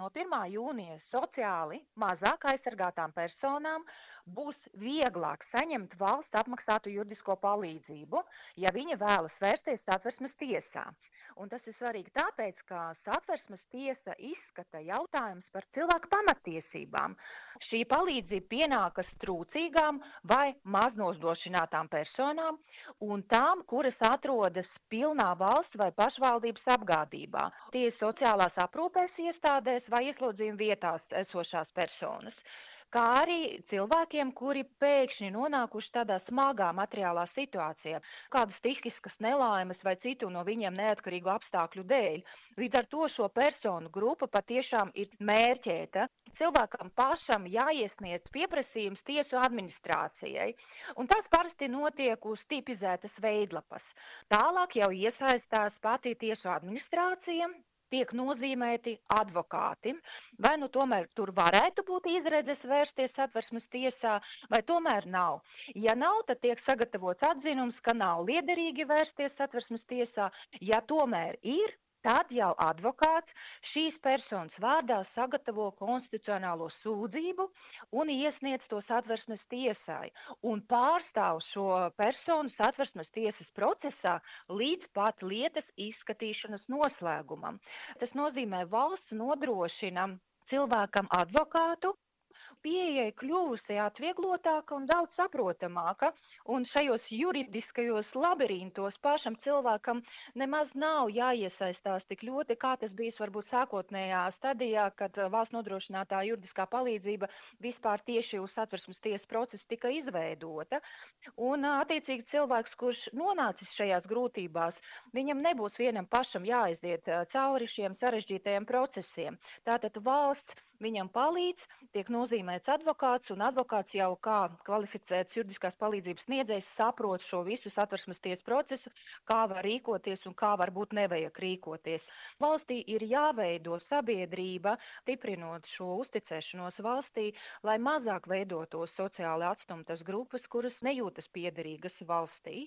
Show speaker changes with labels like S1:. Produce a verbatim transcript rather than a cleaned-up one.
S1: No pirmā jūnija sociāli mazāk aizsargātām personām būs vieglāk saņemt valsts apmaksātu juridisko palīdzību, ja viņa vēlas vērsties Satversmes tiesā. Un tas ir svarīgi tāpēc, ka Satversmes tiesa izskata jautājumus par cilvēku pamattiesībām. Šī palīdzība pienākas trūcīgām vai maznodrošinātām personām un tām, kuras atrodas pilnā valsts vai pašvaldības apgādībā. Tie ir sociālās aprūpēs iestādēs vai ieslodzījuma vietās esošās personas, kā arī cilvēkiem, kuri pēkšņi nonākuši tādā smagā materiālā situācijā, kādas stihiskas nelaimes vai citu no viņiem neatkarīgu apstākļu dēļ. Līdz ar to šo personu grupa patiešām ir mērķēta. Cilvēkam pašam jāiesniedz pieprasījums tiesu administrācijai, un tas parasti notiek uz tipizētas veidlapas. Tālāk jau iesaistās pati tiesu administrācija, tiek nozīmēti advokāti, vai nu tomēr tur varētu būt izredzes vērsties Satversmes tiesā, vai tomēr nav. Ja nav, tad tiek sagatavots atzinums, ka nav liederīgi vērsties Satversmes tiesā. Ja tomēr ir, tad jau advokāts šīs personas vārdā sagatavo konstitucionālo sūdzību un iesniedz to Satversmes tiesai un pārstāv šo personu Satversmes tiesas procesā līdz pat lietas izskatīšanas noslēgumam. Tas nozīmē, valsts nodrošina cilvēkam advokātu, pieeja kļuvusi atvieglotāka un daudz saprotamāka, un šajos juridiskajos labirintos pašam cilvēkam nemaz nav jāiesaistās tik ļoti, kā tas bijis varbūt sākotnējā stadijā, kad valsts nodrošinātā juridiskā palīdzība vispār tieši uz Satversmes tiesas procesu tika izveidota. Un attiecīgi cilvēks, kurš nonācis šajās grūtībās, viņam nebūs vienam pašam jāaiziet cauri šiem sarežģītajiem procesiem. Tātad valsts viņam palīdz, tiek nozīmēts advokāts, un advokāts jau kā kvalificēts juridiskās palīdzības sniedzējs saprot šo visu Satversmes tiesas procesu, kā var rīkoties un kā varbūt nevajag rīkoties. Valstī ir jāveido sabiedrība, stiprinot šo uzticēšanos valstī, lai mazāk veidotos sociāli atstumtas grupas, kuras nejūtas piederīgas valstī.